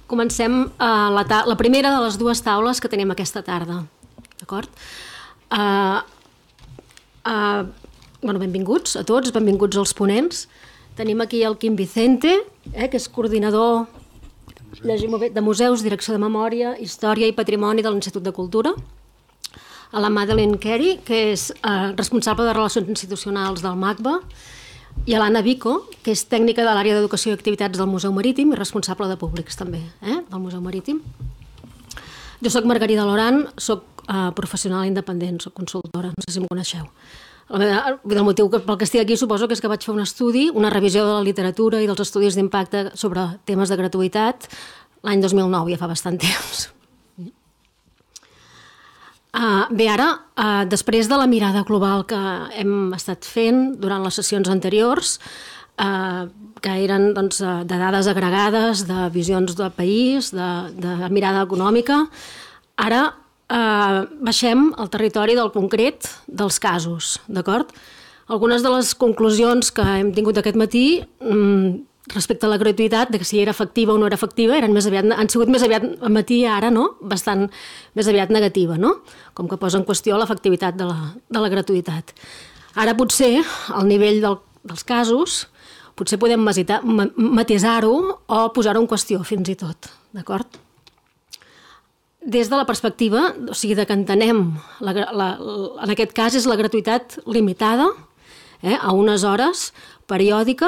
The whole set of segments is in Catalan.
Comencem la primera de les dues taules que tenim aquesta tarda. D'acord? Benvinguts a tots, benvinguts als ponents. Tenim aquí el Quim Vicente, que és coordinador de Museus, Direcció de Memòria, Història i Patrimoni de l'Institut de Cultura. A la Madeleine Carey, que és responsable de Relacions Institucionals del MACBA, i a l'Anna Vico, que és tècnica de l'àrea d'Educació i Activitats del Museu Marítim i responsable de públics també, del Museu Marítim. Jo soc Margarida Loran, soc professional independent, soc consultora, no sé si em coneixeu. El motiu pel que estic aquí suposo que és que vaig fer un estudi, una revisió de la literatura i dels estudis d'impacte sobre temes de gratuïtat l'any 2009, ja fa bastant temps. Bé, ara, després de la mirada global que hem estat fent durant les sessions anteriors, que eren de dades agregades, de visions del país, de mirada econòmica, ara baixem al territori del concret dels casos, d'acord? Algunes de les conclusions que hem tingut aquest matí respecte a la gratuïtat, de que si era efectiva o no era efectiva, han sigut més aviat al matí, ara no, bastant més aviat negativa, no? Com que posa en qüestió l'efectivitat de la gratuïtat. Ara potser, al nivell dels casos, potser podem matisar-ho o posar-ho en qüestió fins i tot, d'acord? Des de la perspectiva, o sigui, que entenem, en aquest cas és la gratuïtat limitada a unes hores periòdica,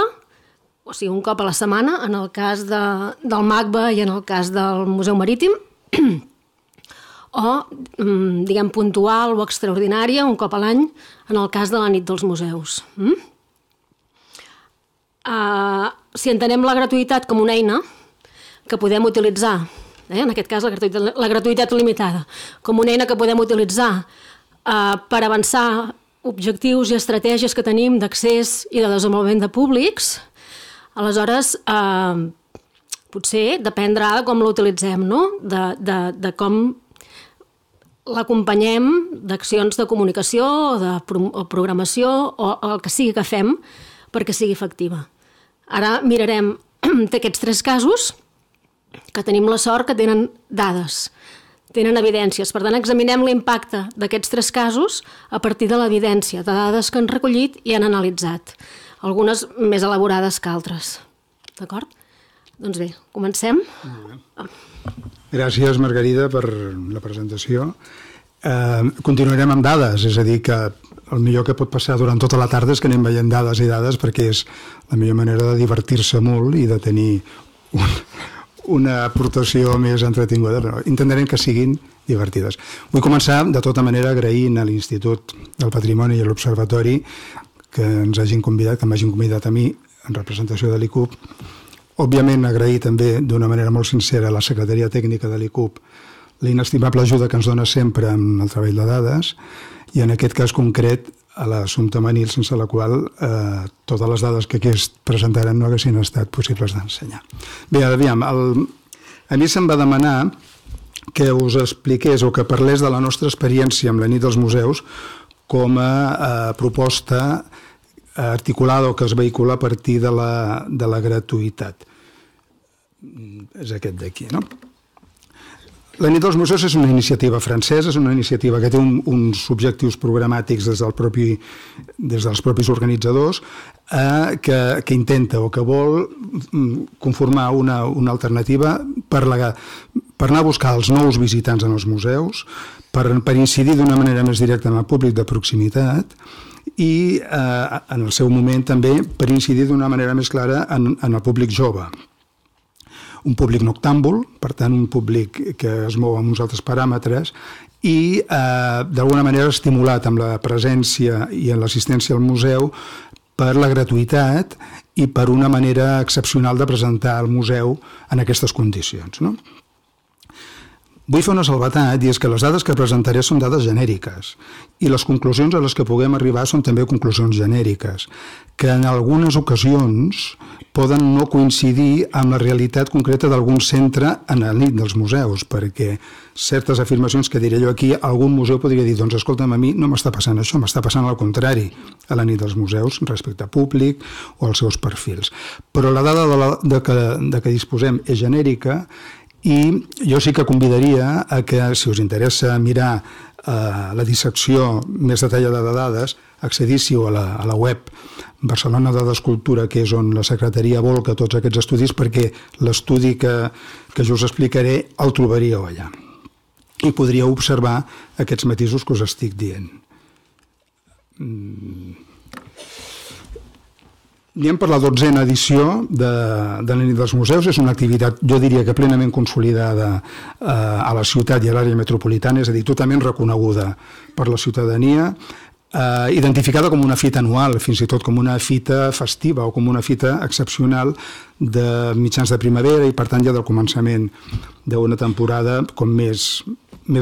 o sigui, un cop a la setmana, en el cas del MACBA i en el cas del Museu Marítim, o, diguem, puntual o extraordinària, un cop a l'any, en el cas de la nit dels museus. Si entenem la gratuïtat com una eina que podem utilitzar, en aquest cas la gratuïtat limitada, com una eina que podem utilitzar per avançar objectius i estratègies que tenim d'accés i de desenvolupament de públics, aleshores potser dependrà de com l'utilitzem, no? De com l'acompanyem d'accions de comunicació o programació o el que sigui que fem perquè sigui efectiva. Ara mirarem d'aquests 3 casos que tenim la sort que tenen dades, tenen evidències. Per tant, examinem l'impacte d'aquests 3 casos a partir de l'evidència, de dades que han recollit i han analitzat, algunes més elaborades que altres. D'acord? Doncs bé, comencem. Gràcies, Margarida, per la presentació. Continuarem amb dades, és a dir, que el millor que pot passar durant tota la tarda és que anem veient dades i dades perquè és la millor manera de divertir-se molt i de tenir una aportació més entretinguda, però intentarem que siguin divertides. Vull començar, de tota manera, agraint a l'Institut del Patrimoni i a l'Observatori que ens hagin convidat, que m'hagin convidat a mi en representació de l'ICUP. Òbviament, agrair també d'una manera molt sincera a la Secretaria Tècnica de l'ICUP l'inestimable ajuda que ens dona sempre amb el treball de dades i en aquest cas concret a l'assumpte Manil, sense la qual totes les dades que aquí es presentaran no haguessin estat possibles d'ensenyar. Bé, aviam, a mi se'm va demanar que us expliqués o que parlés de la nostra experiència amb la nit dels museus com a proposta articulada o que es vehicula a partir de la gratuïtat. És aquest d'aquí, no? La nit dels museus és una iniciativa francesa, és una iniciativa que té uns objectius programàtics des dels propis organitzadors que intenta o que vol conformar una alternativa per anar a buscar els nous visitants en els museus, per incidir d'una manera més directa en el públic de proximitat i en el seu moment també per incidir d'una manera més clara en el públic jove. Un públic noctàmbul, per tant un públic que es mou amb uns altres paràmetres i d'alguna manera estimulat amb la presència i en l'assistència al museu per la gratuïtat i per una manera excepcional de presentar el museu en aquestes condicions, no? Vull fer una salvetat i és que les dades que presentaré són dades genèriques i les conclusions a les que puguem arribar són també conclusions genèriques, que en algunes ocasions poden no coincidir amb la realitat concreta d'algun centre en la nit dels museus, perquè certes afirmacions que diré jo aquí, algun museu podria dir, doncs escolta'm, a mi no m'està passant això, m'està passant al contrari a la nit dels museus respecte a públic o als seus perfils. Però la dada de que disposem és genèrica I jo sí que convidaria a que, si us interessa mirar la dissecció més detallada de dades, accedíssiu a la web Barcelona Dades Cultura, que és on la secretaria volca tots aquests estudis, perquè l'estudi que jo us explicaré el trobaríeu allà. I podríeu observar aquests matisos que us estic dient. Anem per la 12a edició de la nit dels museus. És una activitat, jo diria que plenament consolidada a la ciutat i a l'àrea metropolitana, és a dir, totalment reconeguda per la ciutadania, identificada com una fita anual, fins i tot com una fita festiva o com una fita excepcional de mitjans de primavera i, per tant, ja del començament d'una temporada com més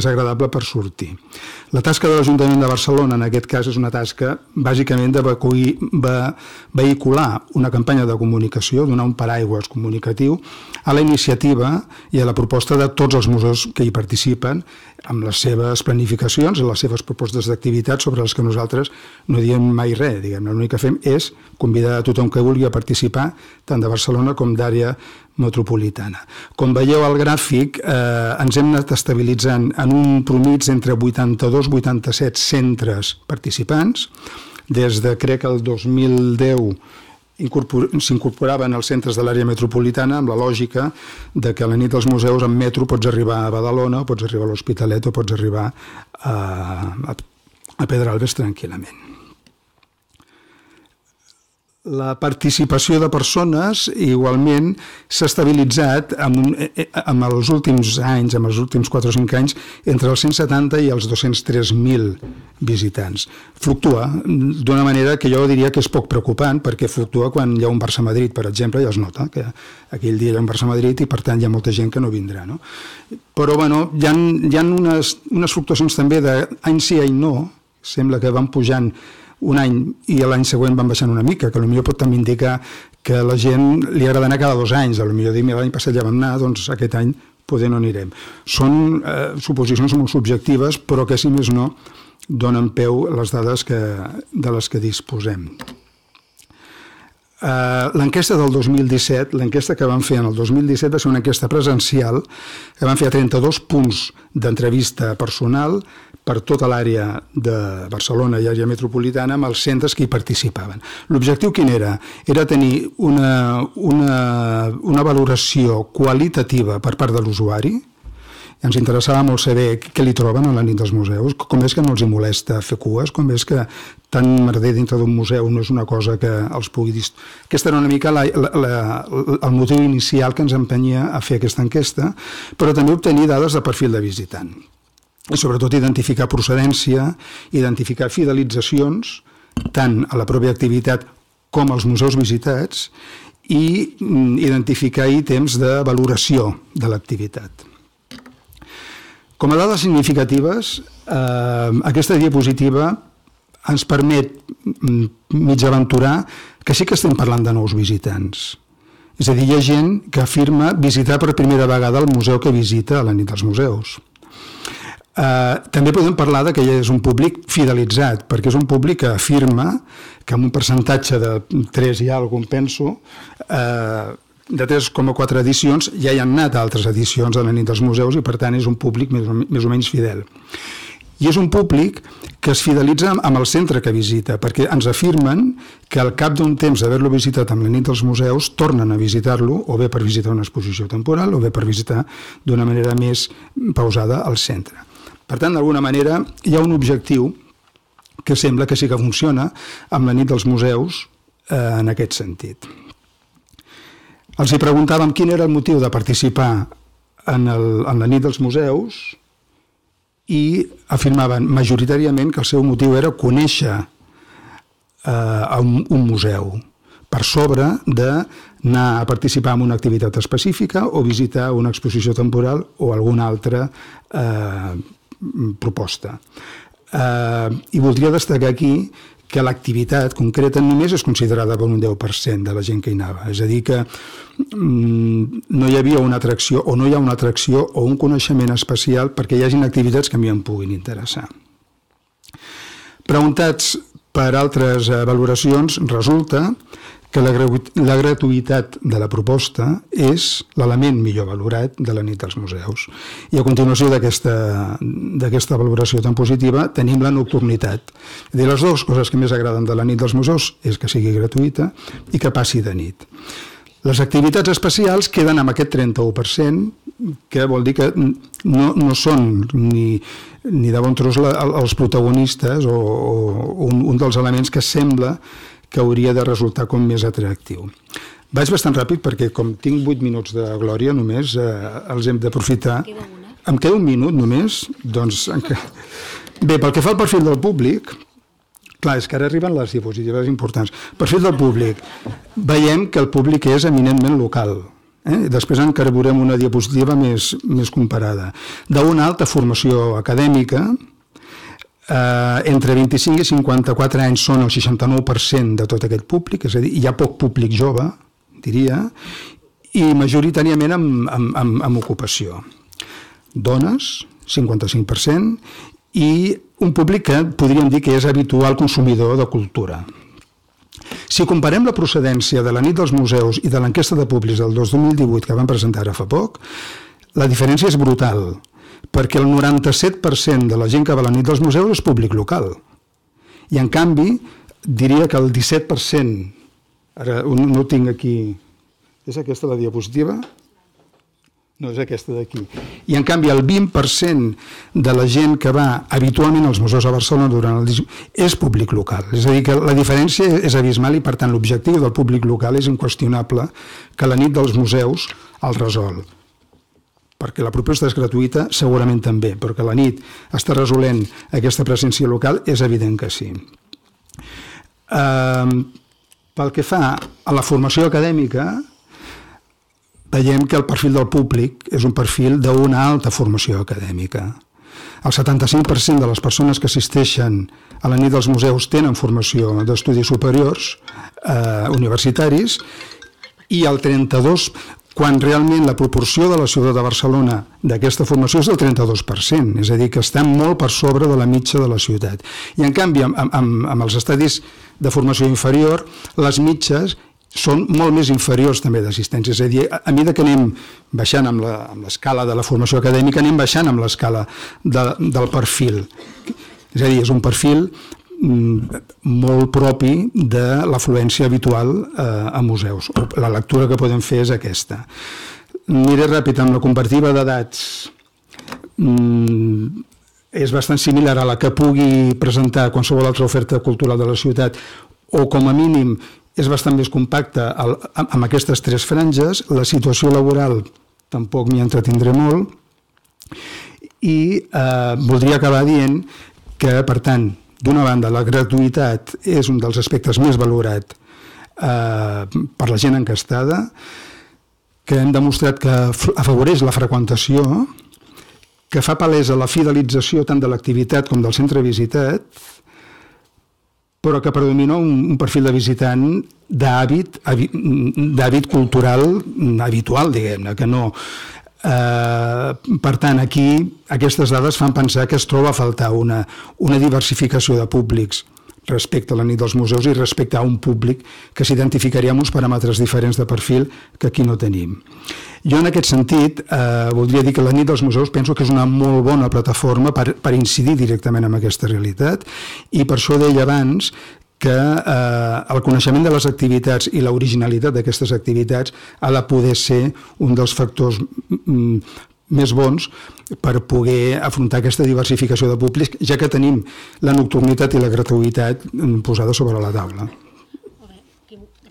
agradable per sortir. La tasca de l'Ajuntament de Barcelona, en aquest cas, és una tasca bàsicament de vehicular una campanya de comunicació, donar un paraigües comunicatiu a la iniciativa i a la proposta de tots els museus que hi participen, amb les seves planificacions i les seves propostes d'activitat sobre les que nosaltres no diem mai res. L'únic que fem és convidar a tothom que vulgui a participar, tant de Barcelona com d'àrea metropolitana. Com veieu al gràfic, ens hem anat estabilitzant en un promig entre 82-87 centres participants. Des de, crec, el 2010 s'incorporaven els centres de l'àrea metropolitana amb la lògica de que a la nit dels museus en metro pots arribar a Badalona, o pots arribar a l'Hospitalet, o pots arribar a Pedralbes tranquil·lament. La participació de persones igualment s'ha estabilitzat en els últims anys, en els últims 4 o 5 anys, entre els 170 i els 203.000 visitants. Fluctua d'una manera que jo diria que és poc preocupant, perquè fluctua quan hi ha un Barça-Madrid, per exemple, ja es nota que aquell dia hi ha un Barça-Madrid i per tant hi ha molta gent que no vindrà. No? Però bueno, hi ha unes fluctuacions també d'any sí, any no, sembla que van pujant un any i l'any següent van baixant una mica, que potser pot també indicar que a la gent li agrada anar cada 2 anys, potser dir, l'any passat ja vam anar, doncs aquest any poder no anirem. Són suposicions molt subjectives, però que si més no donen peu a les dades de les que disposem. L'enquesta del 2017, l'enquesta que vam fer en el 2017 va ser una enquesta presencial que vam fer a 32 punts d'entrevista personal per tota l'àrea de Barcelona i àrea metropolitana amb els centres que hi participaven. L'objectiu quin era? Era tenir una valoració qualitativa per part de l'usuari. Ens interessava molt saber què li troben a la nit dels museus, com és que no els hi molesta fer cues, com és que tant merder dintre d'un museu no és una cosa que els pugui dir. Aquesta era una mica el motiu inicial que ens empenyia a fer aquesta enquesta, però també obtenir dades de perfil de visitant. I sobretot identificar procedència, identificar fidelitzacions, tant a la pròpia activitat com als museus visitats, i identificar ítems de valoració de l'activitat. Com a dades significatives, aquesta diapositiva ens permet mig aventurar que sí que estem parlant de nous visitants. És a dir, hi ha gent que afirma visitar per primera vegada el museu que visita a la nit dels museus. També podem parlar que és un públic fidelitzat, perquè és un públic que afirma que amb un percentatge de 3 i alguna cosa, penso, de 3,4 edicions ja hi han anat altres edicions de la nit dels museus i per tant és un públic més o menys fidel. I és un públic que es fidelitza amb el centre que visita, perquè ens afirmen que al cap d'un temps d'haver-lo visitat amb la nit dels museus tornen a visitar-lo, o bé per visitar una exposició temporal o bé per visitar d'una manera més pausada el centre. Per tant, d'alguna manera hi ha un objectiu que sembla que sí que funciona amb la nit dels museus en aquest sentit. Els hi preguntàvem quin era el motiu de participar en la nit dels museus i afirmaven majoritàriament que el seu motiu era conèixer un museu per sobre d'anar a participar en una activitat específica o visitar una exposició temporal o alguna altra proposta. I voldria destacar aquí que l'activitat concreta només és considerada per un 10% de la gent que hi anava. És a dir, que no hi havia una atracció o no hi ha una atracció o un coneixement especial perquè hi hagin activitats que a mi em puguin interessar. Preguntats per altres valoracions, resulta que la gratuïtat de la proposta és l'element millor valorat de la nit dels museus. I a continuació d'aquesta valoració tan positiva tenim la nocturnitat. Les dues coses que més agraden de la nit dels museus és que sigui gratuïta i que passi de nit. Les activitats especials queden amb aquest 31%, que vol dir que no són ni de bon tros els protagonistes o un dels elements que sembla que hauria de resultar com més atractiu. Vaig bastant ràpid perquè com tinc 8 minuts de glòria només, els hem d'aprofitar. Em queda un minut només? Doncs... Bé, pel que fa al perfil del públic, clar, és que ara arriben les diapositives importants. Perfil del públic. Veiem que el públic és eminentment local. Després encarregurem una diapositiva més comparada. D'una alta formació acadèmica, entre 25 i 54 anys són el 69% de tot aquest públic, és a dir, hi ha poc públic jove, diria, i majoritàriament amb ocupació. Dones, 55%, i un públic que podríem dir que és habitual consumidor de cultura. Si comparem la procedència de la nit dels museus i de l'enquesta de públics del 2018 que van presentar ara fa poc, la diferència és brutal, perquè el 97% de la gent que va a la nit dels museus és públic local. I en canvi, diria que el 17%, ara no ho tinc aquí, és aquesta la diapositiva? No, és aquesta d'aquí. I en canvi el 20% de la gent que va habitualment als museus a Barcelona durant el és públic local. És a dir, que la diferència és abismal i per tant l'objectiu del públic local és inqüestionable que la nit dels museus el resol. Perquè la proposta és gratuïta, segurament també, però que la nit està resolent aquesta presència local és evident que sí. Pel que fa a la formació acadèmica, veiem que el perfil del públic és un perfil d'una alta formació acadèmica. El 75% de les persones que assisteixen a la nit dels museus tenen formació d'estudis superiors universitaris i el 32%, quan realment la proporció de la ciutat de Barcelona d'aquesta formació és del 32%, és a dir, que estan molt per sobre de la mitja de la ciutat. I en canvi, amb els estadis de formació inferior, les mitges són molt més inferiors també d'assistència, és a dir, a mesura que anem baixant amb l'escala de la formació acadèmica, anem baixant amb l'escala del perfil. És a dir, és un perfil molt propi de l'afluència habitual a museus. La lectura que podem fer és aquesta. Miré ràpid amb la comparativa d'edats. És bastant similar a la que pugui presentar qualsevol altra oferta cultural de la ciutat o com a mínim és bastant més compacta amb aquestes tres franges. La situació laboral tampoc m'hi entretindré molt i voldria acabar dient que, per tant, d'una banda, la gratuïtat és un dels aspectes més valorat per la gent encastada, que hem demostrat que afavoreix la freqüentació, que fa palesa la fidelització tant de l'activitat com del centre visitat, però que predomina un perfil de visitant d'hàbit cultural habitual, diguem-ne, que no... Per tant, aquí aquestes dades fan pensar que es troba a faltar una diversificació de públics respecte a la nit dels museus i respecte a un públic que s'identificaria amb uns paràmetres diferents de perfil que aquí no tenim. Jo, en aquest sentit, voldria dir que la nit dels museus penso que és una molt bona plataforma per incidir directament en aquesta realitat i per això deia abans que el coneixement de les activitats i l'originalitat d'aquestes activitats ha de poder ser un dels factors més bons per poder afrontar aquesta diversificació de públics, ja que tenim la nocturnitat i la gratuïtat posada sobre la taula.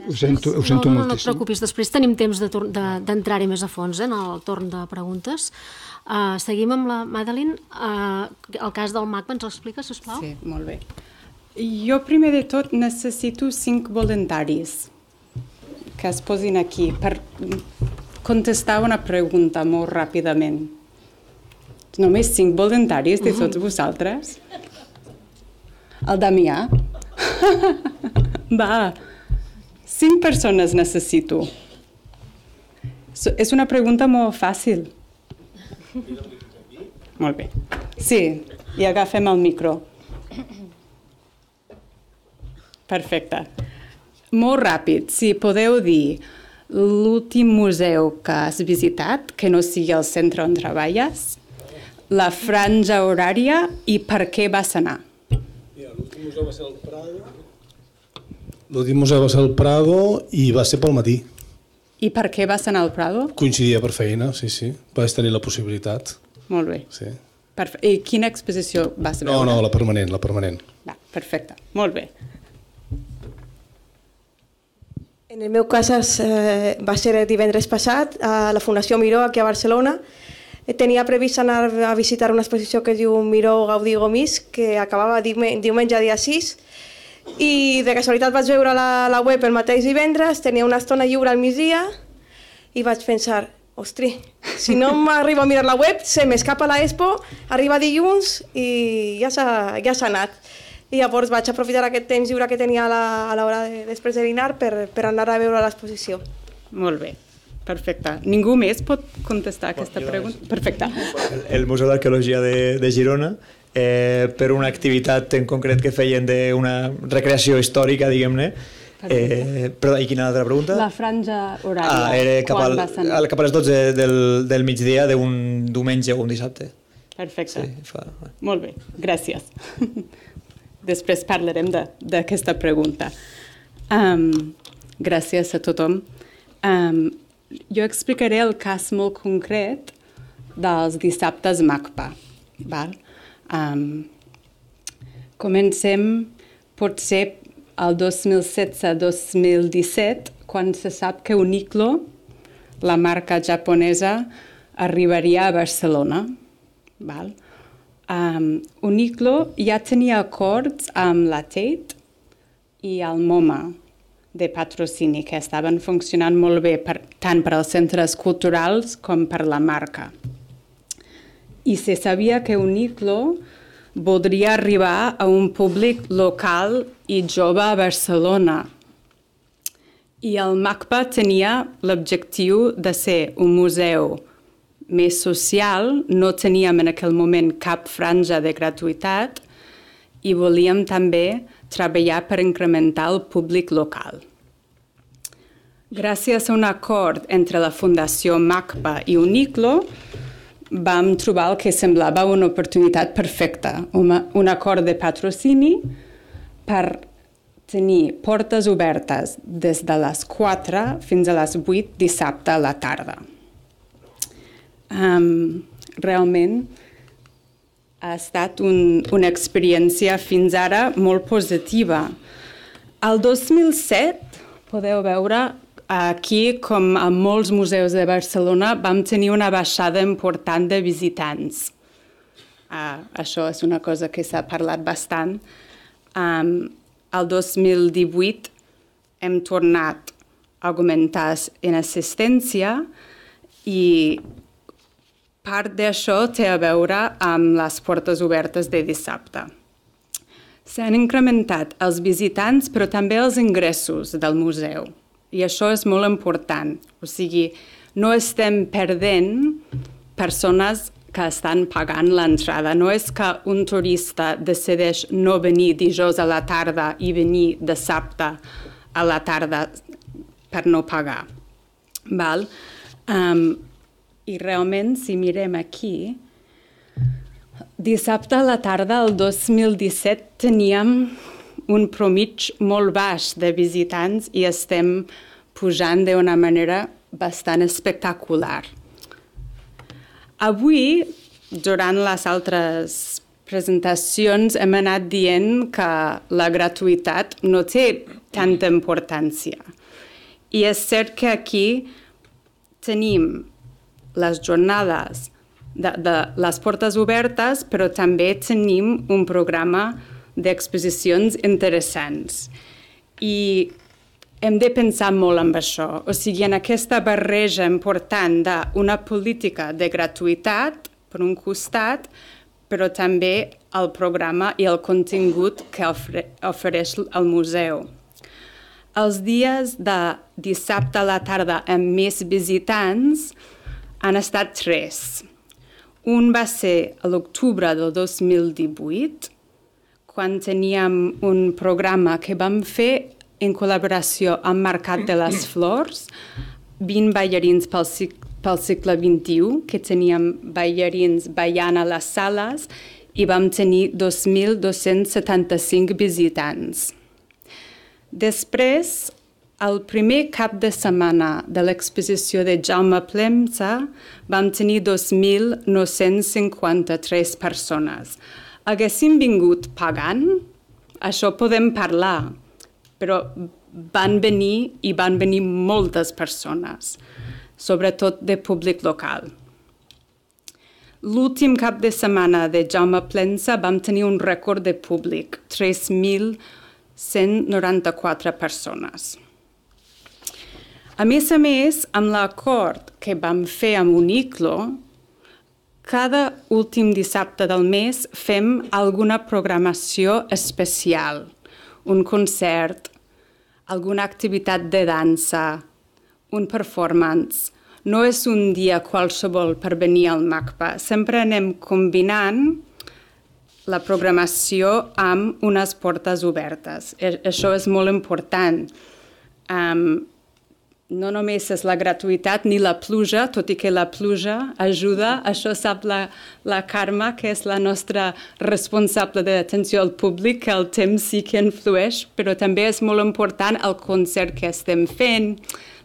Ho sento moltíssim. No et preocupis, després tenim temps d'entrar-hi més a fons en el torn de preguntes. Seguim amb la Madeline. El cas del MACBA, ens l'expliques, sisplau? Sí, molt bé. Jo, primer de tot, necessito 5 voluntaris que es posin aquí per contestar una pregunta molt ràpidament. Només 5 voluntaris de tots vosaltres? El Damià? Va, 5 persones necessito. És una pregunta molt fàcil. Molt bé. Sí, i agafem el micro. Perfecte. molt ràpid, si podeu dir l'últim museu que has visitat, que no sigui el centre on treballes, la franja horària i per què vas anar. L'últim museu va ser el Prado. L'últim museu va ser el Prado i va ser pel matí. I per què vas anar al Prado? Coincidia per feina, sí. Vaig tenir la possibilitat. Molt bé. Sí. I quina exposició vas veure? No, la permanent. Va, perfecte, molt bé. En el meu cas va ser divendres passat a la Fundació Miró, aquí a Barcelona. Tenia previst anar a visitar una exposició que es diu Miró Gaudí Gomis, que acabava diumenge dia 6, i de casualitat vaig veure la web el mateix divendres, tenia una estona lliure al migdia, i vaig pensar, ostri, si no m'arribo a mirar la web, se m'escapa l'expo, arriba dilluns i ja s'ha anat. I llavors vaig aprofitar aquest temps lliure que tenia a l'hora després de dinar per anar a veure l'exposició. Molt bé, perfecte. Ningú més pot contestar aquesta pregunta? Perfecte. El Museu d'Arqueologia de Girona, per una activitat en concret que feien d'una recreació històrica, diguem-ne. Perdó, i quina altra pregunta? La franja horària. Era cap a les 12 del migdia d'un diumenge o un dissabte. Perfecte. Molt bé, gràcies. Després parlarem d'aquesta pregunta. Gràcies a tothom. Jo explicaré el cas molt concret dels dissabtes MACPA. Comencem potser el 2016-2017, quan se sap que Uniqlo, la marca japonesa, arribaria a Barcelona. Uniqlo ja tenia acords amb la Tate i el MoMA de patrocini, que estaven funcionant molt bé tant per als centres culturals com per la marca. I se sabia que Uniqlo voldria arribar a un públic local i jove a Barcelona. I el MACPA tenia l'objectiu de ser un museu més social, no teníem en aquell moment cap franja de gratuïtat i volíem també treballar per incrementar el públic local. Gràcies a un acord entre la Fundació MACPA i Uniqlo, vam trobar el que semblava una oportunitat perfecta, un acord de patrocini per tenir portes obertes des de les 4 fins a les 8 dissabte a la tarda. Realment ha estat una experiència fins ara molt positiva. El 2007, podeu veure, aquí, com a molts museus de Barcelona, vam tenir una baixada important de visitants. Això és una cosa que s'ha parlat bastant. El 2018 hem tornat a augmentar en assistència i part d'això té a veure amb les portes obertes de dissabte. S'han incrementat els visitants, però també els ingressos del museu. I això és molt important. O sigui, no estem perdent persones que estan pagant l'entrada. No és que un turista decideix no venir dijous a la tarda i venir dissabte a la tarda per no pagar. I realment, si mirem aquí, dissabte a la tarda, el 2017, teníem un promig molt baix de visitants i estem pujant d'una manera bastant espectacular. Avui, durant les altres presentacions, hem anat dient que la gratuïtat no té tanta importància. I és cert que aquí tenim les jornades de les portes obertes, però també tenim un programa d'exposicions interessants. I hem de pensar molt en això. O sigui, en aquesta barreja important d'una política de gratuïtat, per un costat, però també el programa i el contingut que ofereix el museu. Els dies de dissabte a la tarda amb més visitants han estat 3. Un va ser a l'octubre del 2018, quan teníem un programa que vam fer en col·laboració amb Mercat de les Flors, 20 ballarins pel segle XXI, que teníem ballarins ballant a les sales i vam tenir 2.275 visitants. Després, el primer cap de setmana de l'exposició de Jaume Plemsa vam tenir 2.953 persones. Haguéssim vingut pagant, això podem parlar, però van venir moltes persones, sobretot de públic local. L'últim cap de setmana de Jaume Plemsa vam tenir un rècord de públic, 3.194 persones. A més, amb l'acord que vam fer amb Uniclo, cada últim dissabte del mes fem alguna programació especial, un concert, alguna activitat de dansa, un performance. No és un dia qualsevol per venir al MACBA. Sempre anem combinant la programació amb unes portes obertes. Això és molt important. No només és la gratuïtat ni la pluja, tot i que la pluja ajuda. Això sap la Carme, que és la nostra responsable d'atenció al públic, que el temps sí que influeix, però també és molt important el concert que estem fent,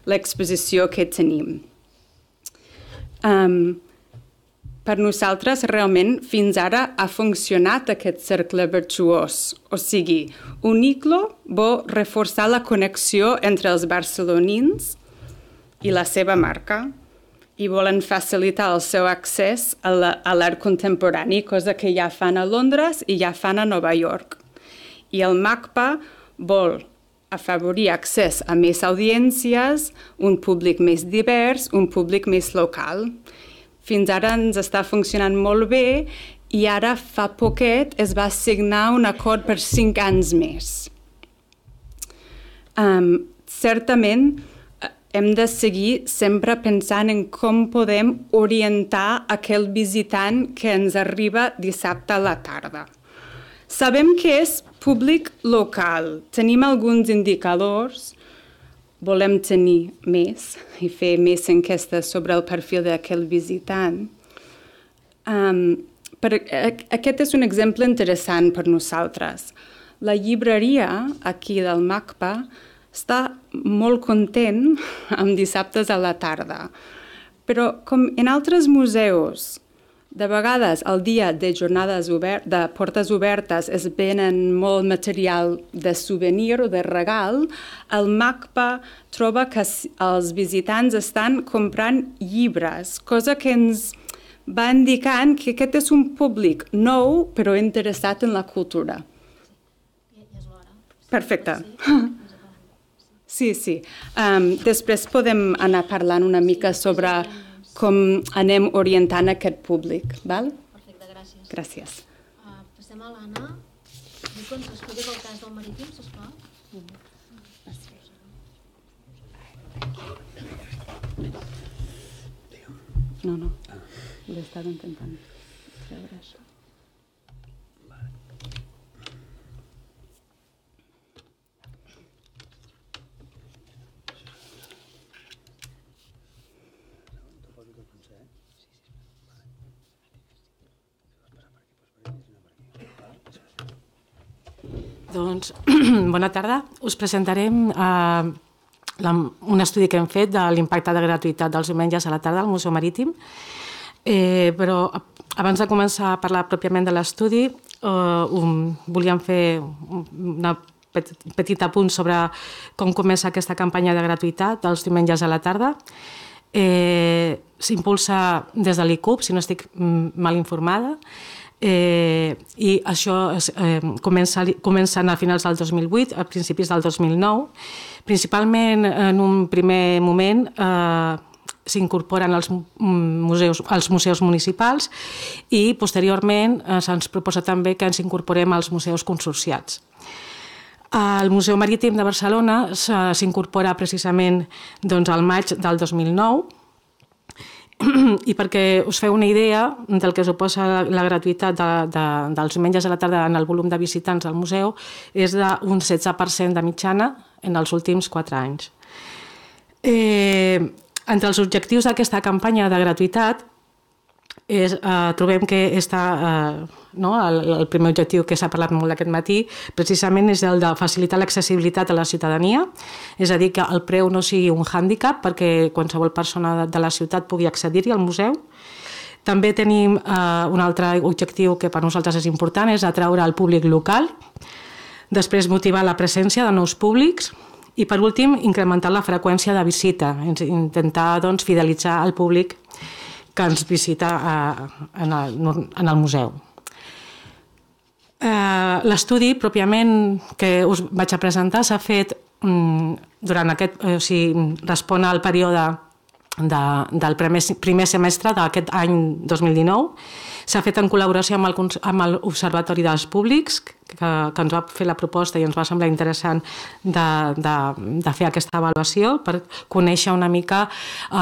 l'exposició que tenim. Per nosaltres, realment, fins ara ha funcionat aquest cercle virtuós. O sigui, Uniclo vol reforçar la connexió entre els barcelonins i la seva marca i volen facilitar el seu accés a l'art contemporani, cosa que ja fan a Londres i ja fan a Nova York. I el MACBA vol afavorir accés a més audiències, un públic més divers, un públic més local. Fins ara ens està funcionant molt bé i ara fa poquet es va signar un acord per 5 anys més. Certament hem de seguir sempre pensant en com podem orientar aquell visitant que ens arriba dissabte a la tarda. Sabem que és públic local, tenim alguns indicadors, volem tenir més i fer més enquestes sobre el perfil d'aquell visitant. Aquest és un exemple interessant per nosaltres. La llibreria aquí del MACBA està molt content amb dissabtes a la tarda, però com en altres museus, de vegades, el dia de jornades de portes obertes es venen molt material de souvenir o de regal, el MACBA troba que els visitants estan comprant llibres, cosa que ens va indicant que aquest és un públic nou però interessat en la cultura. És l'hora. Perfecte. Sí. Després podem anar parlant una mica sobre com anem orientant aquest públic, val? Perfecte, gràcies. Gràcies. Passem a l'Anna. Vull que ens expliquis el cas del Marítim, sisplau. No. L'he estat intentant treure això. Doncs, bona tarda. Us presentarem un estudi que hem fet de l'impacte de gratuïtat dels diumenges a la tarda al Museu Marítim. Però abans de començar a parlar pròpiament de l'estudi, volíem fer una petit apunt sobre com comença aquesta campanya de gratuïtat dels diumenges a la tarda. S'impulsa des de l'ICUB, si no estic mal informada, i això comença a finals del 2008, a principis del 2009. Principalment, en un primer moment, s'incorporen als museus municipals i, posteriorment, se'ns proposa també que ens incorporem als museus consorciats. El Museu Marítim de Barcelona s'incorpora precisament al maig del 2009. i perquè us feu una idea del que suposa la gratuïtat dels diumenges a la tarda en el volum de visitants al museu, és d'un 16% de mitjana en els últims 4 anys. Entre els objectius d'aquesta campanya de gratuïtat trobem que el primer objectiu que s'ha parlat molt aquest matí precisament és el de facilitar l'accessibilitat a la ciutadania, és a dir, que el preu no sigui un hàndicap perquè qualsevol persona de la ciutat pugui accedir-hi al museu. També tenim un altre objectiu que per nosaltres és important, és atraure el públic local, després motivar la presència de nous públics i per últim incrementar la freqüència de visita, intentar fidelitzar el públic que ens visita en el museu. L'estudi pròpiament que us vaig a presentar s'ha fet durant respon al període del primer semestre d'aquest any 2019. S'ha fet en col·laboració amb l'Observatori dels Públics, que ens va fer la proposta i ens va semblar interessant de fer aquesta avaluació per conèixer una mica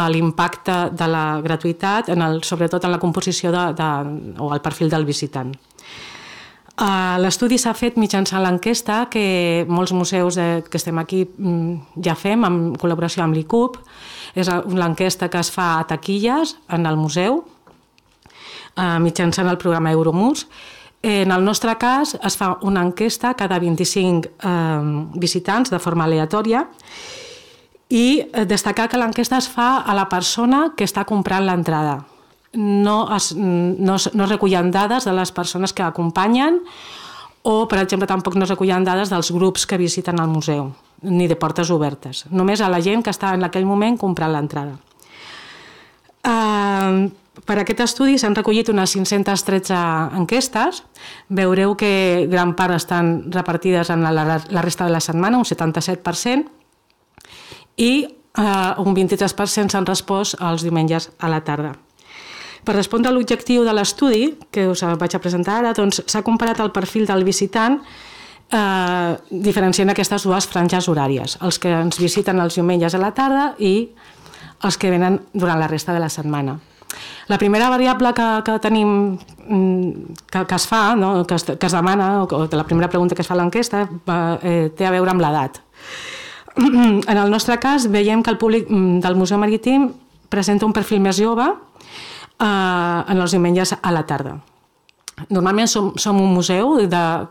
l'impacte de la gratuïtat, sobretot en la composició o el perfil del visitant. L'estudi s'ha fet mitjançant l'enquesta que molts museus que estem aquí ja fem en col·laboració amb l'ICUB. És l'enquesta que es fa a taquilles en el museu mitjançant el programa Euromus. En el nostre cas es fa una enquesta cada 25 visitants de forma aleatòria i destacar que l'enquesta es fa a la persona que està comprant l'entrada. No es recullen dades de les persones que acompanyen o, per exemple, tampoc no es recullen dades dels grups que visiten el museu, ni de portes obertes. Només a la gent que està en aquell moment comprant l'entrada. Per aquest estudi s'han recollit unes 513 enquestes. Veureu que gran part estan repartides en la resta de la setmana, un 77%, i un 23% s'han respost els diumenges a la tarda. Per respondre a l'objectiu de l'estudi, que us vaig a presentar ara, s'ha comparat el perfil del visitant diferenciant aquestes dues franges horàries, els que ens visiten els diumenges a la tarda i els que venen durant la resta de la setmana. La primera variable que tenim, que es fa, que es demana, o la primera pregunta que es fa a l'enquesta, té a veure amb l'edat. En el nostre cas, veiem que el públic del Museu Marítim presenta un perfil més jove en els diumenges a la tarda. Normalment som un museu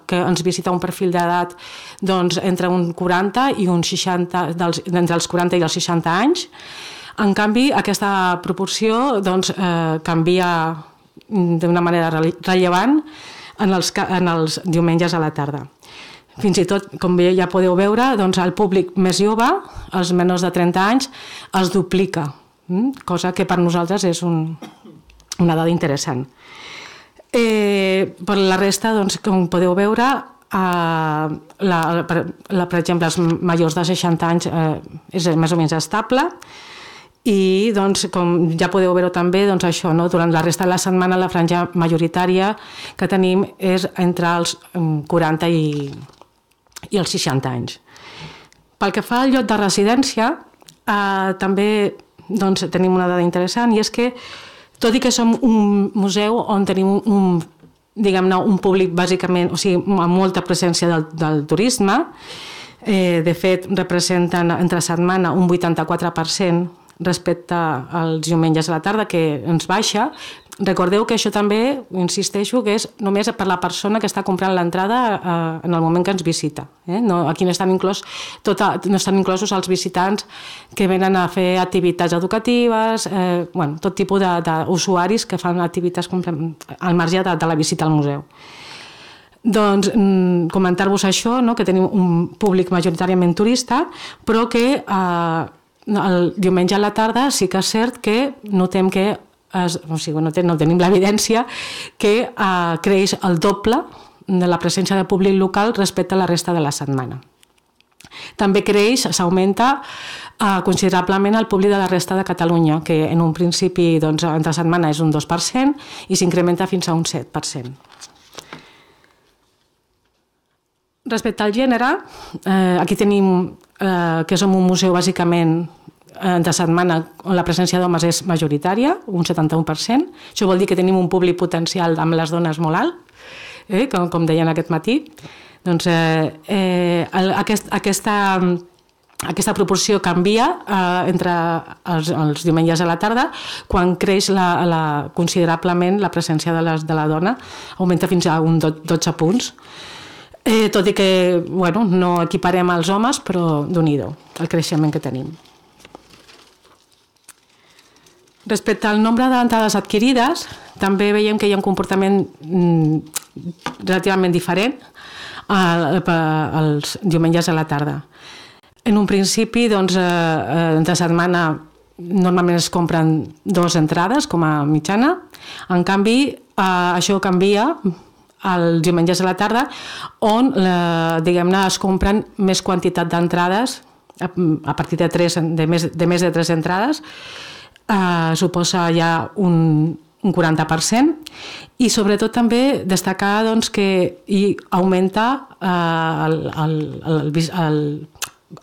que ens visita un perfil d'edat entre un 40 i un 60, entre els 40 i els 60 anys. En canvi, aquesta proporció canvia d'una manera rellevant en els diumenges a la tarda. Fins i tot, com ja podeu veure, el públic més jove, els menors de 30 anys, es duplica, cosa que per nosaltres és una dada interessant. Per la resta, com podeu veure, per exemple, els majors de 60 anys és més o menys estable i, com ja podeu veure també, durant la resta de la setmana la franja majoritària que tenim és entre els 40 i els 60 anys. Pel que fa al lloc de residència, també tenim una dada interessant i és que tot i que som un museu on tenim un públic bàsicament, o sigui, amb molta presència del turisme, de fet representen entre setmana un 84% respecte als diumenges a la tarda, que ens baixa. Recordeu que això també, insisteixo, que és només per la persona que està comprant l'entrada en el moment que ens visita. Aquí no estan inclosos els visitants que venen a fer activitats educatives, tot tipus d'usuaris que fan activitats al marge de la visita al museu. Doncs comentar-vos això, que tenim un públic majoritàriament turista, però que el diumenge a la tarda sí que és cert que notem que no tenim l'evidència que creix el doble de la presència de públic local respecte a la resta de la setmana. També s'augmenta considerablement el públic de la resta de Catalunya, que en un principi entre setmana és un 2% i s'incrementa fins a un 7%. Respecte al gènere, aquí tenim que som un museu bàsicament de setmana on la presència d'homes és majoritària, un 71%. Això vol dir que tenim un públic potencial amb les dones molt alt, com deien aquest matí. Doncs aquesta proporció canvia entre els diumenges a la tarda quan creix considerablement la presència de la dona, augmenta fins a un 12 punts. Tot i que no equiparem als homes, però Déu-n'hi-do el creixement que tenim. Respecte al nombre d'entrades adquirides, també veiem que hi ha un comportament relativament diferent els diumenges a la tarda. En un principi, de setmana, normalment es compren 2 entrades com a mitjana. En canvi, això canvia els diumenges a la tarda, on diguem-ne es compren més quantitat d'entrades a partir de més de 3 entrades. Suposa ja un 40%, i sobretot també destacar que augmenta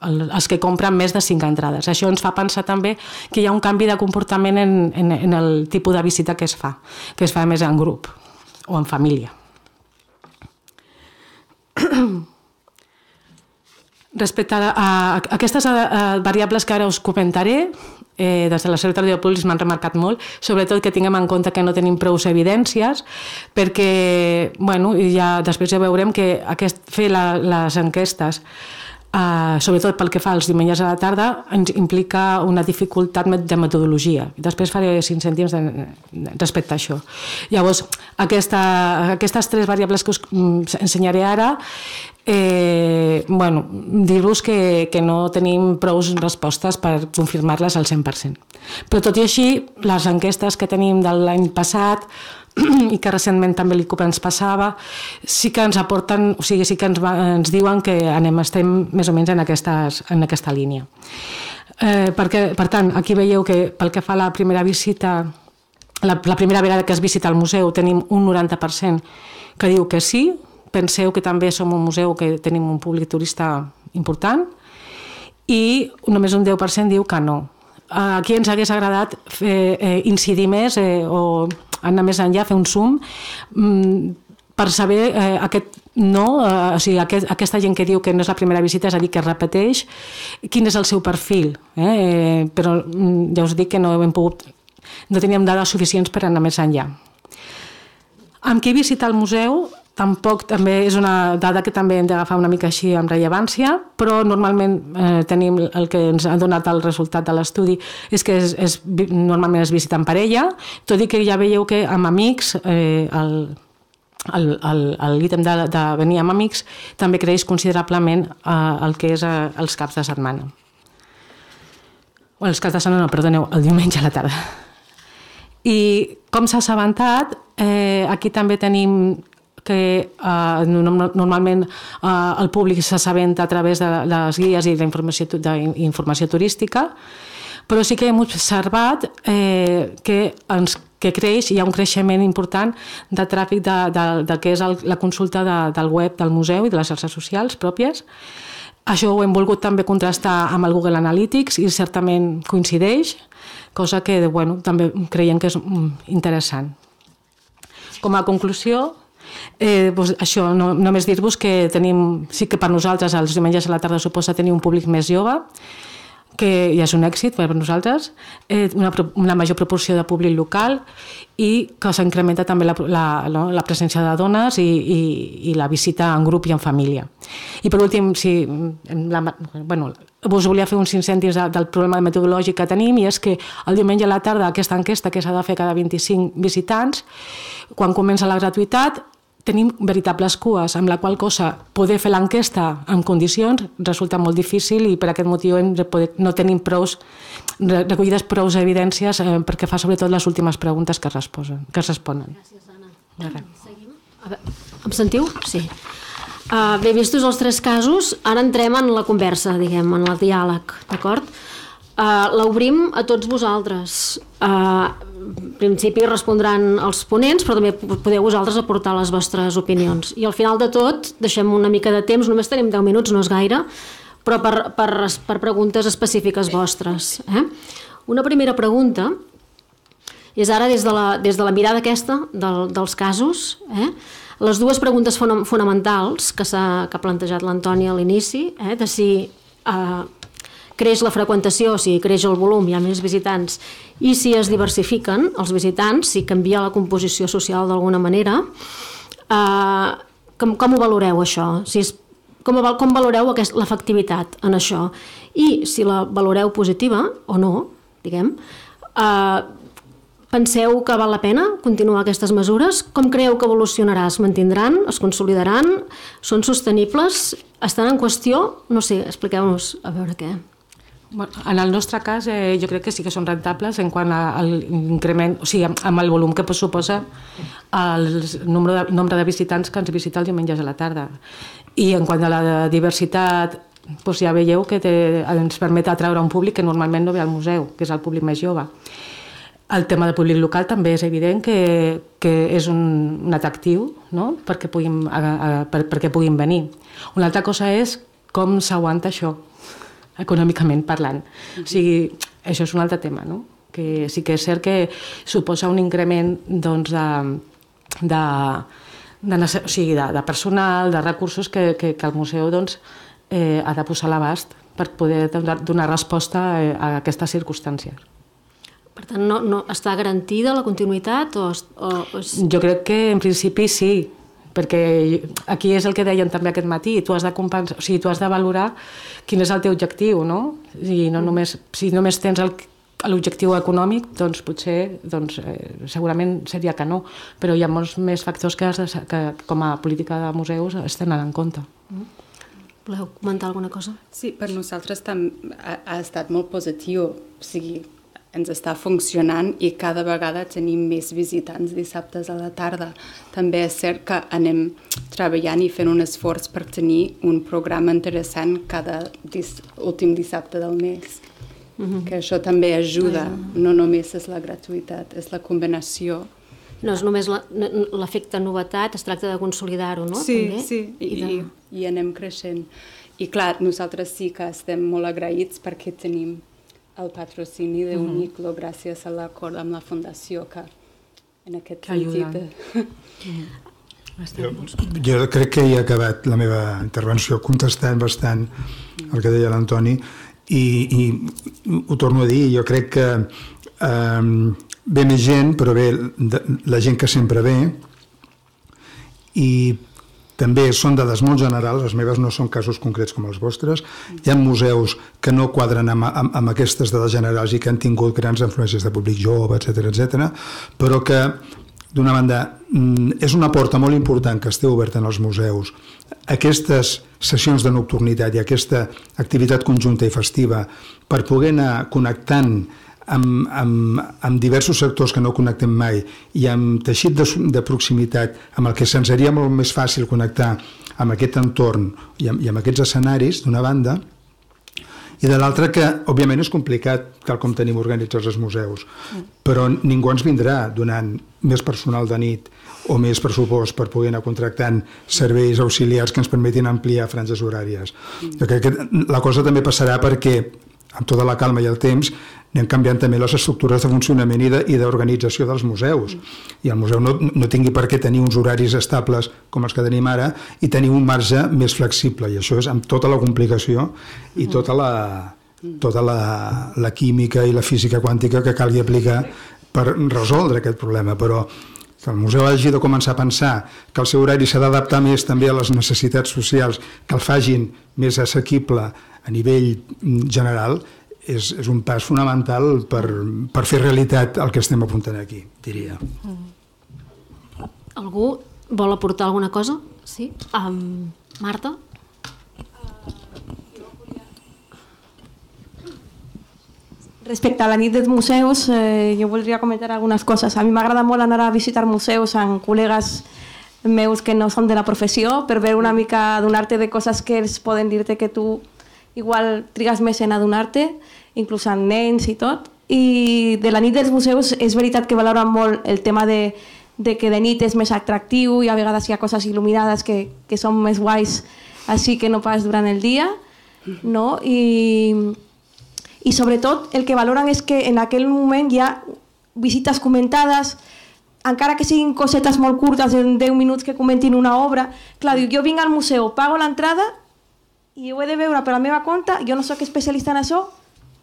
els que compren més de 5 entrades. Això ens fa pensar també que hi ha un canvi de comportament en el tipus de visita que es fa més en grup o en família. Respecte a aquestes variables que ara us comentaré, des de la Secretaria de Públics m'han remarcat molt, sobretot que tinguem en compte que no tenim prou evidències, perquè ja després ja veurem que fer les enquestes, sobretot pel que fa als diumenges a la tarda, ens implica una dificultat de metodologia. Després faré 5 cèntims respecte a això. Llavors, aquestes 3 variables que us ensenyaré ara, dir-vos que no tenim prou respostes per confirmar-les al 100%. Però tot i així, les enquestes que tenim de l'any passat i que recentment també l'ICUP ens passava, sí que ens aporten, o sigui, sí que ens diuen que estem més o menys en aquesta línia. Per tant, aquí veieu que pel que fa a la primera visita, la primera vegada que es visita el museu, tenim un 90% que diu que sí. Penseu que també som un museu que tenim un públic turista important, i només un 10% diu que no. Aquí ens hagués agradat incidir més o anar més enllà, fer un zoom per saber aquest no, o sigui, aquesta gent que diu que no és la primera visita, és a dir, que repeteix, quin és el seu perfil. Però ja us dic que no teníem dades suficients per anar més enllà. Amb qui visita el museu tampoc també és una dada que també hem d'agafar una mica així amb rellevància, però normalment tenim el que ens ha donat el resultat de l'estudi és que normalment es visita en parella, tot i que ja veieu que amb amics l'ítem de venir amb amics també creix considerablement el que és els caps de setmana. Els caps de setmana, no, perdoneu, el diumenge a la tarda. I com s'ha assabentat, aquí també tenim que normalment el públic s'assabenta a través de les guies i d'informació turística, però sí que hem observat que creix, hi ha un creixement important de tràfic del que és la consulta del web del museu i de les xarxes socials pròpies. Això ho hem volgut també contrastar amb el Google Analytics i certament coincideix, cosa que també creiem que és interessant. Com a conclusió, això, només dir-vos que sí que per nosaltres els diumenges a la tarda suposa tenir un públic més jove, que ja és un èxit per nosaltres, una major proporció de públic local i que s'incrementa també la presència de dones i la visita en grup i en família. I per últim, us volia fer uns 5 cèntims del problema metodològic que tenim, i és que el diumenge a la tarda aquesta enquesta que s'ha de fer cada 25 visitants, quan comença la gratuïtat, tenim veritables cues, amb la qual cosa poder fer l'enquesta en condicions resulta molt difícil, i per aquest motiu no tenim recollides prou evidències perquè fa sobretot les últimes preguntes que es responen. Gràcies, Anna. Seguim? Em sentiu? Sí. Bé, vistos els 3 casos, ara entrem en la conversa, diguem, en el diàleg, d'acord? L'obrim a tots vosaltres. En principi respondran els ponents, però també podeu vosaltres aportar les vostres opinions. I al final de tot, deixem una mica de temps, només tenim 10 minuts, no és gaire, però per preguntes específiques vostres. Una primera pregunta és ara des de la mirada aquesta dels casos, les dues preguntes fonamentals que ha plantejat l'Antoni a l'inici, de si creix la freqüentació, si creix el volum, hi ha més visitants, i si es diversifiquen els visitants, si canvia la composició social d'alguna manera. Com ho valoreu, això? Com valoreu l'efectivitat en això? I si la valoreu positiva o no, diguem, penseu que val la pena continuar aquestes mesures? Com creieu que evolucionarà? Es mantindran? Es consolidaran? Són sostenibles? Estan en qüestió? No sé, expliqueu-nos a veure què. En el nostre cas, jo crec que sí que són rentables en quant a l'increment, o sigui, amb el volum que suposa el nombre de visitants que ens visita els diumenges a la tarda. I en quant a la diversitat, doncs ja veieu que ens permet atraure un públic que normalment no ve al museu, que és el públic més jove. El tema del públic local també és evident que és un atractiu, no? perquè puguin venir. Una altra cosa és com s'aguanta això, econòmicament parlant. O sigui, això és un altre tema, no? Que sí que és cert que suposa un increment doncs, de personal, de recursos que el museu doncs, ha de posar a l'abast per poder donar resposta a aquestes circumstàncies. Per tant, no està garantida la continuïtat? Jo crec que en principi sí, perquè aquí és el que deien també aquest matí, tu has de valorar quin és el teu objectiu, no? I si només tens l'objectiu econòmic, doncs potser segurament seria que no, però hi ha molts més factors que com a política de museus es tenen en compte. Voleu comentar alguna cosa? Sí, per nosaltres ha estat molt positiu, o sigui, ens està funcionant i cada vegada tenim més visitants dissabtes a la tarda. També és cert que anem treballant i fent un esforç per tenir un programa interessant cada últim dissabte del mes. Que això també ajuda, no només és la gratuïtat, és la combinació. No és només l'efecte novetat, es tracta de consolidar-ho, no? Sí, i anem creixent. I clar, nosaltres sí que estem molt agraïts perquè tenim el patrocini d'Uniclo gràcies a l'acord amb la Fundació que en aquest sentit... Jo crec que he acabat la meva intervenció contestant bastant el que deia l'Antoni i ho torno a dir, jo crec que ve més gent, però ve la gent que sempre ve i també són dades molt generals, les meves no són casos concrets com els vostres. Hi ha museus que no quadren amb aquestes dades generals i que han tingut grans influències de públic jove, etc., però que, d'una banda, és una porta molt important que estigui oberta en els museus. Aquestes sessions de nocturnitat i aquesta activitat conjunta i festiva per poder anar connectant amb diversos sectors que no connectem mai i amb teixit de proximitat amb el que se'ns seria molt més fàcil connectar amb aquest entorn i amb aquests escenaris, d'una banda, i de l'altra que, òbviament, és complicat tal com tenim organitzats els museus, però ningú ens vindrà donant més personal de nit o més pressupost per poder anar contractant serveis auxiliars que ens permetin ampliar franges horàries. Jo crec que la cosa també passarà perquè amb tota la calma i el temps anem canviant també les estructures de funcionament i d'organització dels museus. I el museu no tingui per què tenir uns horaris estables com els que tenim ara i tenir un marge més flexible. I això és amb tota la complicació i tota la química i la física quàntica que calgui aplicar per resoldre aquest problema. Però que el museu hagi de començar a pensar que el seu horari s'ha d'adaptar més també a les necessitats socials, que el facin més assequible a nivell general, és un pas fonamental per fer realitat el que estem apuntant aquí, diria. Algú vol aportar alguna cosa? Sí? Marta? Respecte a la nit dels museus, jo voldria comentar algunes coses. A mi m'agrada molt anar a visitar museus amb col·legues meus que no són de la professió per veure una mica, adonar-te de coses que ells poden dir-te que tu igual trigues més en adonar-te, inclús amb nens i tot. I de la nit dels museus és veritat que valoren molt el tema de que de nit és més atractiu i a vegades hi ha coses il·luminades que són més guais així que no pas durant el dia. no? I sobretot el que valoren és que en aquell moment hi ha visites comentades, encara que siguin cosetes molt curtes, en 10 minuts que comentin una obra. Clar, diu, jo vinc al museu, pago l'entrada i ho he de veure per la meva compte, jo no soc especialista en això,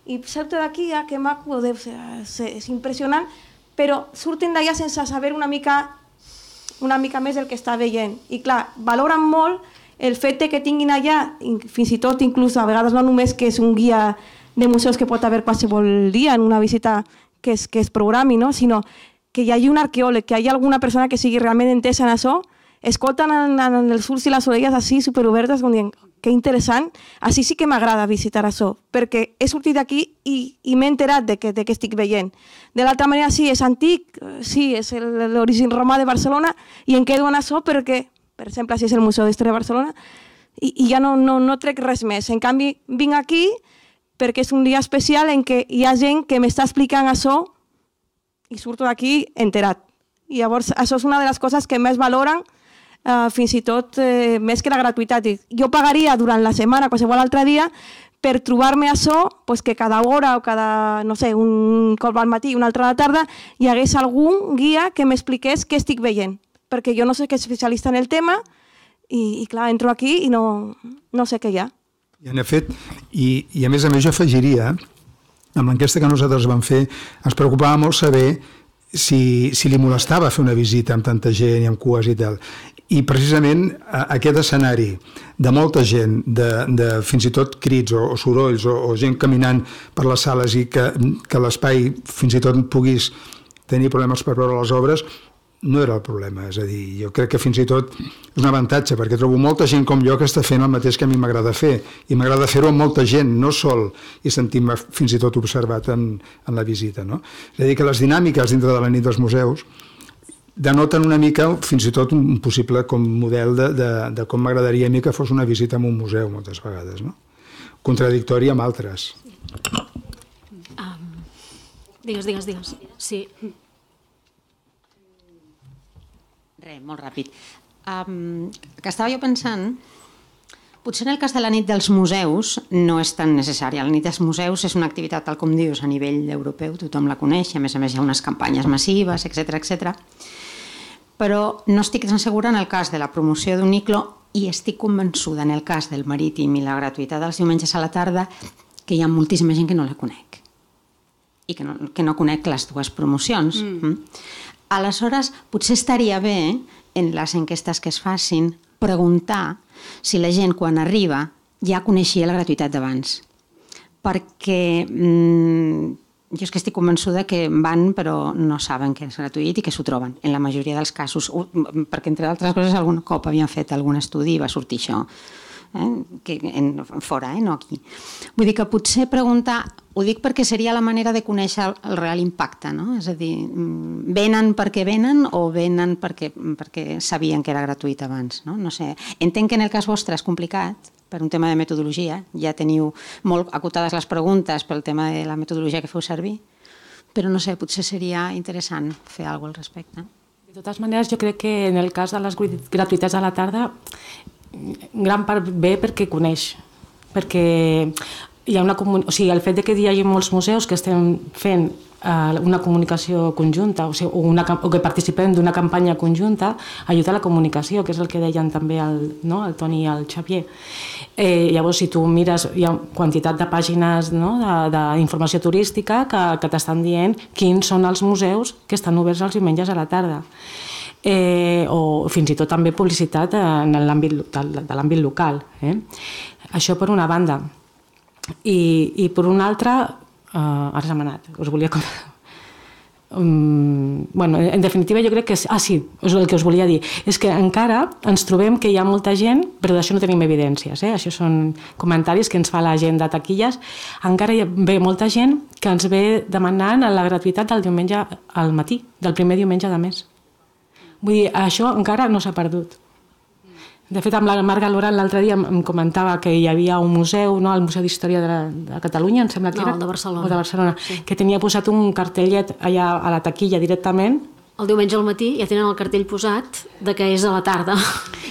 i surto d'aquí, que maco, és impressionant, però surten d'allà sense saber una mica més el que està veient. I clar, valoren molt el fet que tinguin allà, fins i tot inclús a vegades no només que és un guia de museus que pot haver qualsevol dia en una visita que es programi, no? Sinó que hi hagi un arqueòleg, que hi hagi alguna persona que sigui realment entesa en això, escolten en els ulls i les orelles així superobertes, com dient, que interessant, així sí que m'agrada visitar això, perquè he sortit d'aquí i m'he enterat de què estic veient. De l'altra manera, sí, és antic, sí, és l'origen romà de Barcelona, i em quedo en això perquè, per exemple, si és el Museu d'Història de Barcelona, i ja no trec res més. En canvi, vinc aquí perquè és un dia especial en què hi ha gent que m'està explicant això i surto d'aquí enterat. I llavors, això és una de les coses que més valoren, fins i tot més que la gratuïtat. Jo pagaria durant la setmana, qualsevol altre dia, per trobar-me això, que cada hora o cada, no sé, un cop al matí i una altra a la tarda, hi hagués algun guia que m'expliqués què estic veient. Perquè jo no soc especialista en el tema i clar, entro aquí i no sé què hi ha. I en efecte, i a més jo afegiria, amb l'enquesta que nosaltres vam fer, ens preocupava molt saber si li molestava fer una visita amb tanta gent i amb cues i tal. I precisament aquest escenari de molta gent, de fins i tot crits o sorolls o gent caminant per les sales i que l'espai fins i tot puguis tenir problemes per veure les obres, no era el problema. És a dir, jo crec que fins i tot és un avantatge, perquè trobo molta gent com jo que està fent el mateix que a mi m'agrada fer, i m'agrada fer-ho amb molta gent, no sol, i sentir-me fins i tot observat en la visita. No? És a dir, que les dinàmiques dintre de la nit dels museus denoten una mica fins i tot un possible com model de com m'agradaria a mi que fos una visita a un museu moltes vegades, no? Contradictori amb altres. Digues. Sí. Res, molt ràpid. Que estava jo pensant, potser en el cas de la nit dels museus no és tan necessària. La nit dels museus és una activitat, tal com dius, a nivell europeu, tothom la coneix, a més hi ha unes campanyes massives, etc. Però no estic tan segura en el cas de la promoció d'un ICLO i estic convençuda en el cas del Marítim i la gratuïtat dels diumenges a la tarda que hi ha moltíssima gent que no la conec i que no conec les dues promocions. Aleshores, potser estaria bé, en les enquestes que es facin, preguntar si la gent, quan arriba, ja coneixia la gratuïtat d'abans. Perquè jo és que estic convençuda que van però no saben que és gratuït i que s'ho troben, en la majoria dels casos. Perquè, entre altres coses, algun cop havien fet algun estudi i va sortir això. Fora, no aquí. Vull dir que potser preguntar, ho dic perquè seria la manera de conèixer el real impacte, no? És a dir, venen perquè venen o venen perquè sabien que era gratuït abans, no? No sé, entenc que en el cas vostre és complicat per un tema de metodologia, ja teniu molt acotades les preguntes pel tema de la metodologia que feu servir, però no sé, potser seria interessant fer alguna cosa al respecte. De totes maneres, jo crec que en el cas de les gratuïtats a la tarda gran part ve perquè coneix, perquè hi ha una el fet que hi hagi molts museus que estem fent una comunicació conjunta o que participem d'una campanya conjunta ajuda a la comunicació, que és el que deien també el Toni i el Xavier. Llavors, si tu mires, hi ha quantitat de pàgines d'informació turística que t'estan dient quins són els museus que estan oberts els diumenges a la tarda. O fins i tot també publicitat en l'àmbit local. Això per una banda. I per una altra, ara se m'ha anat, us volia en definitiva jo crec que sí, és el que us volia dir, és que encara ens trobem que hi ha molta gent, però d'això no tenim evidències, això són comentaris que ens fa la gent de taquilles, encara hi ve molta gent que ens ve demanant la gratuïtat del diumenge al matí, del primer diumenge de mes. Vull dir, això encara no s'ha perdut. De fet, amb la Marga Loran l'altre dia em comentava que hi havia un museu, el Museu d'Història de Catalunya, em sembla que era. No, el de Barcelona. O de Barcelona, que tenia posat un cartellet allà a la taquilla directament. el diumenge al matí ja tenen el cartell posat de que és a la tarda.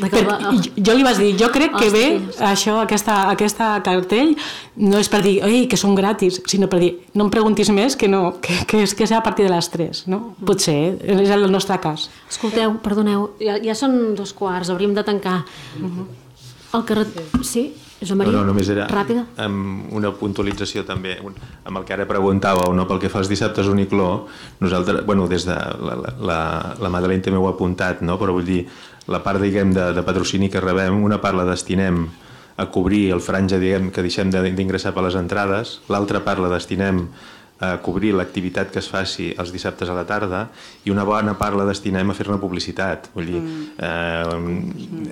Jo li vaig dir, jo crec que ve això, aquesta cartell, no és per dir, ei, que són gratis, sinó per dir, no em preguntis més, que és a partir de les 3, no? Potser, és el nostre cas. Escolteu, perdoneu, ja són 2:15, hauríem de tancar. El carrer... Sí? Josep Maria? No, només era ràpida. Amb una puntualització també, amb el que ara preguntàveu, no? Pel que fa als dissabtes Unicló, nosaltres, bueno, des de la Madeleine també ho ha apuntat, no? Però vull dir, la part, diguem, de patrocini que rebem, una part la destinem a cobrir el franja, diguem, que deixem d'ingressar per les entrades, l'altra part la destinem a cobrir l'activitat que es faci els dissabtes a la tarda i una bona part la destinem a fer-ne publicitat. Vull dir,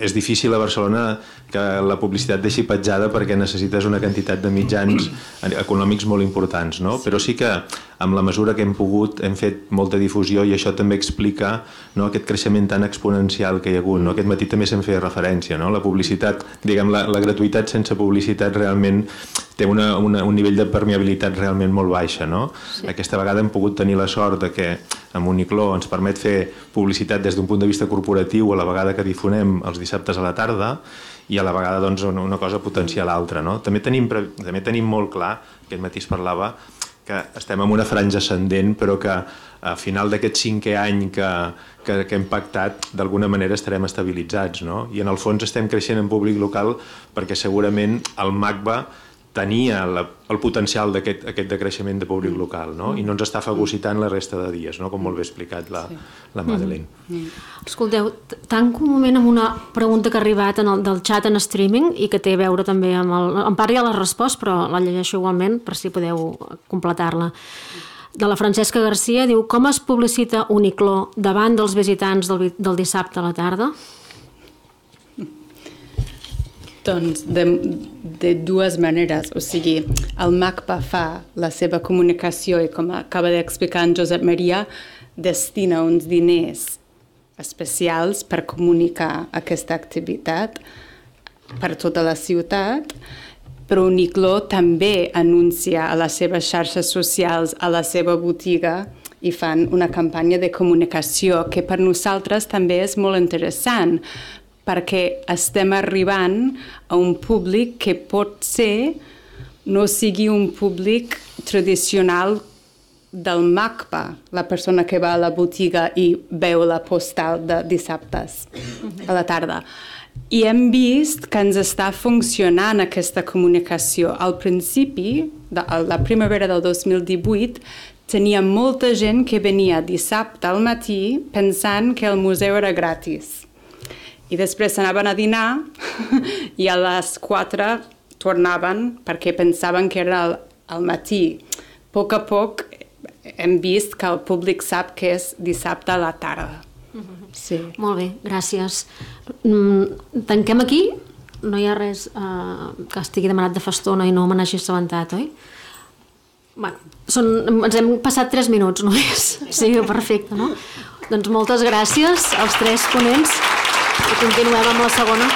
és difícil a Barcelona que la publicitat deixi petjada perquè necessites una quantitat de mitjans econòmics molt importants, no? Però sí que amb la mesura que hem pogut hem fet molta difusió i això també explica, no, aquest creixement tan exponencial que hi ha hagut, no? Aquest matí també se'n feia referència, no? La publicitat, diguem, la gratuïtat sense publicitat realment té un nivell de permeabilitat realment molt baixa, no? Sí. Aquesta vegada hem pogut tenir la sort de que amb Unicló ens permet fer publicitat des d'un punt de vista corporatiu a la vegada que difonem els dissabtes a la tarda i a la vegada doncs, una cosa potencia l'altra, no? També tenim molt clar, aquest matí es parlava, que estem en una franja ascendent però que a final d'aquest 5è any que hem pactat d'alguna manera estarem estabilitzats, no? I en el fons estem creixent en públic local perquè segurament el MACBA tenia el potencial d'aquest de creixement de públic local, no? I no ens està fagocitant la resta de dies, no? Com molt bé explicat la Madeleine. Escolteu, tanco un moment amb una pregunta que ha arribat del xat en streaming i que té a veure també amb en part ja l'ha respost, però la llegeixo igualment per si podeu completar-la. De la Francesca Garcia, diu: com es publicita Unicló davant dels visitants del dissabte a la tarda? Doncs de dues maneres, o sigui, el MACBA fa la seva comunicació i, com acaba d'explicar en Josep Maria, destina uns diners especials per comunicar aquesta activitat per tota la ciutat, però Unicló també anuncia a les seves xarxes socials, a la seva botiga, i fan una campanya de comunicació que per nosaltres també és molt interessant, perquè estem arribant a un públic que pot ser no sigui un públic tradicional del MACBA, la persona que va a la botiga i veu la postal de dissabtes a la tarda. I hem vist que ens està funcionant aquesta comunicació. Al principi, la primavera del 2018, tenia molta gent que venia dissabte al matí pensant que el museu era gratis. I després s'anaven a dinar i a les 4 tornaven perquè pensaven que era al matí. A poc hem vist que el públic sap que és dissabte a la tarda. Sí. Molt bé, gràcies. Tanquem aquí? No hi ha res que estigui demanat de fa estona i no me n'hagi assabentat, oi? Ens hem passat 3 minuts només. Sí, perfecte, no? Doncs moltes gràcies als 3 ponents. I continuem amb la segona.